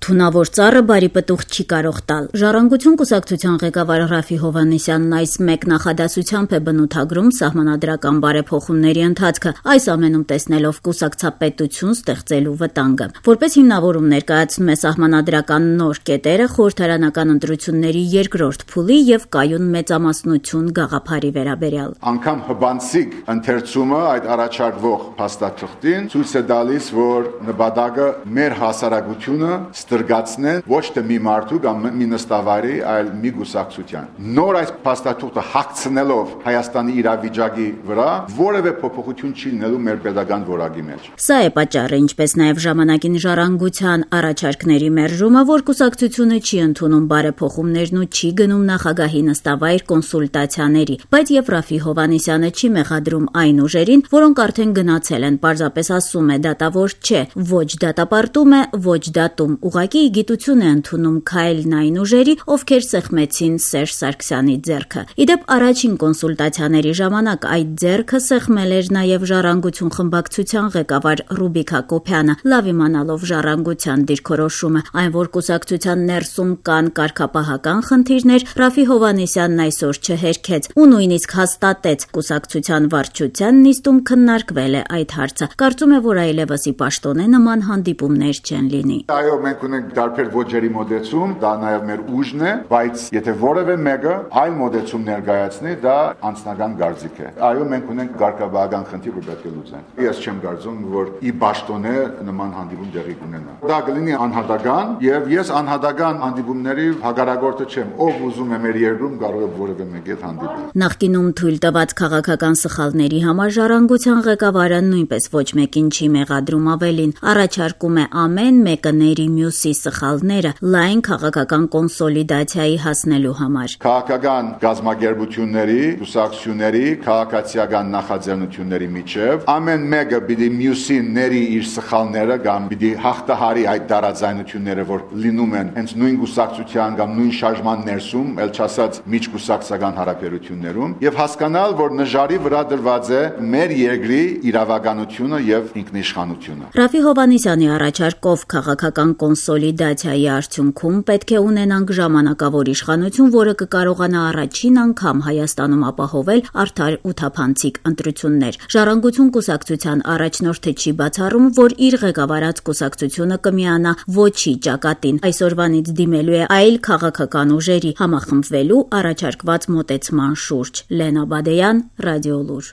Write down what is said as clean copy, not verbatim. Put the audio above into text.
Թունավոր ծառը բարի պտուղ չի կարող տալ։ Ժառանգություն կուսակցության ղեկավար Ռաֆի Հովհաննիսյանն այս մեկ նախադասությամբ է բնութագրում սահմանադրական բարեփոխումների ընթացքը, այս ամենում տեսնելով կուսակցապետություն ստեղծելու վտանգը։ Որպես հիմնավորում ներկայացնում է սահմանադրական նոր կետերը խորհրդարանական ընտրությունների երկրորդ փուլի եւ կայուն մեծամասնություն գաղափարի վերաբերյալ։ Անգամ հբանցիկ ընթերցումը այդ առաջարկվող փաստաթղթին ցույց է տալիս, որ նպատակը մեր հասարակությունը ստրգացնեն ոչ թե մի մարդու կամ մի նստավայրի, այլ մի գուսակցության։ Նոր այս փաստաթուղթը հագցնելով Հայաստանի իրավիճակի վրա որևէ փոփոխություն չի լինելու մեր pedagogan որակի մեջ։ Սա է պատճառը, ինչպես նաև ժամանակին ժառանգության առաջարկների մերժումը, որ կուսակցությունը չի ընդունում բարեփոխումներն ու չի գնում նախագահի նստավայր կոնսուլտացիաների, բայց եւ Ռաֆի Հովհաննիսյանը չի մեղադրում այն ուժերին, որոնք արդեն գնացել են, պարզապես ասում է դատավոր չէ, ոչ դատապարտում է, ոչ դատում, ուղղակի գիտություն է ընդունում քայլն այն ուժերի, ովքեր սեղմեցին Սերժ Սարգսյանի ձեռքը։ Իդեպ առաջին կոնսուլտացիաների ժամանակ այդ ձեռքը սեղմել էր նաև ժառանգություն խմբակցության ղեկավար Ռուբիկ Հակոբյանը, լավ իմանալով ժառանգության դիրքորոշումը, այն որ կուսակցության ներսում կան կարգապահական խնդիրներ, Ռաֆի Հովհաննիսյանն այսօր չհերքեց ու նույնիսկ հաստատեց կուսակցության վարչության նիստում քննարկվել է այդ հարցը։ Կարծում է, որ այլևս ի պաշտոնե նման հանդիպումներ չեն լինի։ Այո, մենք ունենք տարբեր ոճերի մոդեցում, դա նաև մեր ուժն է, բայց եթե որևէ մեկը այլ մոդեցում ներկայացնի, դա անձնական գործիք է։ Այո, մենք ունենք կարգապահական խնդիր, որ պետք է լուծենք։ Ես չեմ կարծում, որ ի պաշտոնե նման հանդիպում տեղի կունենա։ Դա կլինի անհատական, եւ ես անհատական հանդիպումների հակարակորդը չեմ։ Ով ուզում է մեր երկրում կարող է որևէ մեկի հետ հանդիպել։ Նախկինում թույլ տված քաղաքական սխալների համար ժառանգության ղեկավարը նույնպես ոչ մեկին չի մեղադրում, ավելին առաջարկում է ամեն մեկը ների մյուսի սխալները լայն քաղաքական կոնսոլիդացիայի հասնելու համար։ Քաղաքական գազམ་ագերբությունների, կուսակցությունների, քաղաքացիական նախաձեռնությունների միջև ամեն մեկը պիտի մյուսին ների իր սխալները կամ պիտի հաղթահարի այդ տարաձայնությունները, որ լինում են հենց նույն կուսակցության կամ նույն շարժման ներսում, ել չասած միջկուսակցական հարաբերություններում, եւ հասկանալ, որ նժարի վրա դրված է մեր երկրի իրավականությունը եւ ինքնիշխանությունը։ Ռաֆի Հովհաննիսյանի առաջարկով քաղաքական կոնսոլիդացիայի արդյունքում պետք է ունենանք ժամանակավոր իշխանություն, որը կկարողանա առաջին անգամ Հայաստանում ապահովել արդար ու թափանցիկ ընտրություններ։ Ժառանգություն կուսակցության առաջնորդը չի բացառում, որ իր ղեկավարած կուսակցությունը կմիանա ոչի ճակատին, այսօրվանից դիմելու է այլ քաղաքական ուժերի համախմբվելու առաջարկված մոտեցման շուրջ։ Լենա Բադեյան, Ռադիոլուր։